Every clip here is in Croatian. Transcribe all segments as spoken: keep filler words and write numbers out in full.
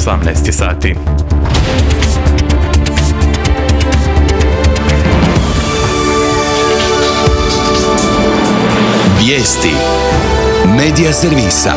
osamnaest sati. Vijesti Medija servisa.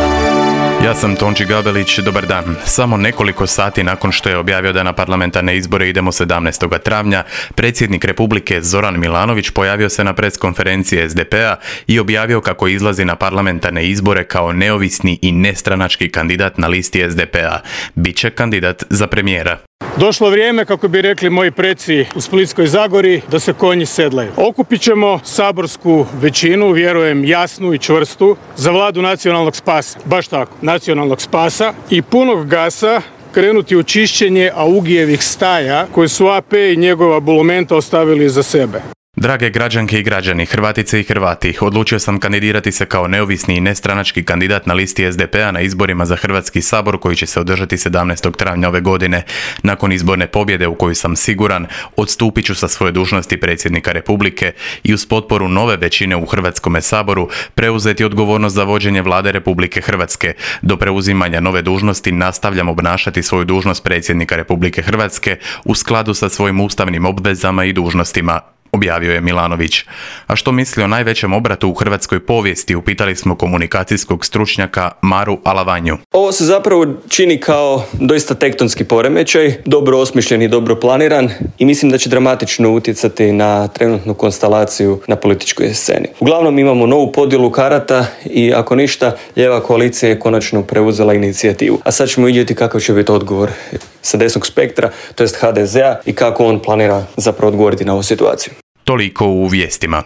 Ja sam Tonči Gabelić, dobar dan. Samo nekoliko sati nakon što je objavio da na parlamentarne izbore idemo sedamnaestog travnja, predsjednik Republike Zoran Milanović pojavio se na preskonferenciji es de pe a i objavio kako izlazi na parlamentarne izbore kao neovisni i nestranački kandidat na listi es de pe a. Biće kandidat za premijera. Došlo vrijeme, kako bi rekli moji preci u Splitskoj Zagori, da se konji sedlaju. Okupit ćemo saborsku većinu, vjerujem jasnu i čvrstu, za vladu nacionalnog spasa. Baš tako, nacionalnog spasa i punog gasa krenuti u čišćenje Augijevih staja koje su a pe i njegova bulumenta ostavili za sebe. Drage građanke i građani, Hrvatice i Hrvati, odlučio sam kandidirati se kao neovisni i nestranački kandidat na listi es de pe a na izborima za Hrvatski sabor koji će se održati sedamnaestog travnja ove godine. Nakon izborne pobjede u koju sam siguran, odstupit ću sa svoje dužnosti predsjednika Republike i uz potporu nove većine u Hrvatskome saboru preuzeti odgovornost za vođenje vlade Republike Hrvatske. Do preuzimanja nove dužnosti nastavljam obnašati svoju dužnost predsjednika Republike Hrvatske u skladu sa svojim ustavnim obvezama i dužnostima, objavio je Milanović. A što misli o najvećem obratu u hrvatskoj povijesti, upitali smo komunikacijskog stručnjaka Maru Alavanju. Ovo se zapravo čini kao doista tektonski poremećaj, dobro osmišljen i dobro planiran i mislim da će dramatično utjecati na trenutnu konstelaciju na političkoj sceni. Uglavnom imamo novu podjelu karata i ako ništa, lijeva koalicija je konačno preuzela inicijativu. A sad ćemo vidjeti kakav će biti odgovor sa desnog spektra, to jest ha de ze a, i kako on planira zapravo odgovoriti na ovu situaciju. Toliko u vijestima.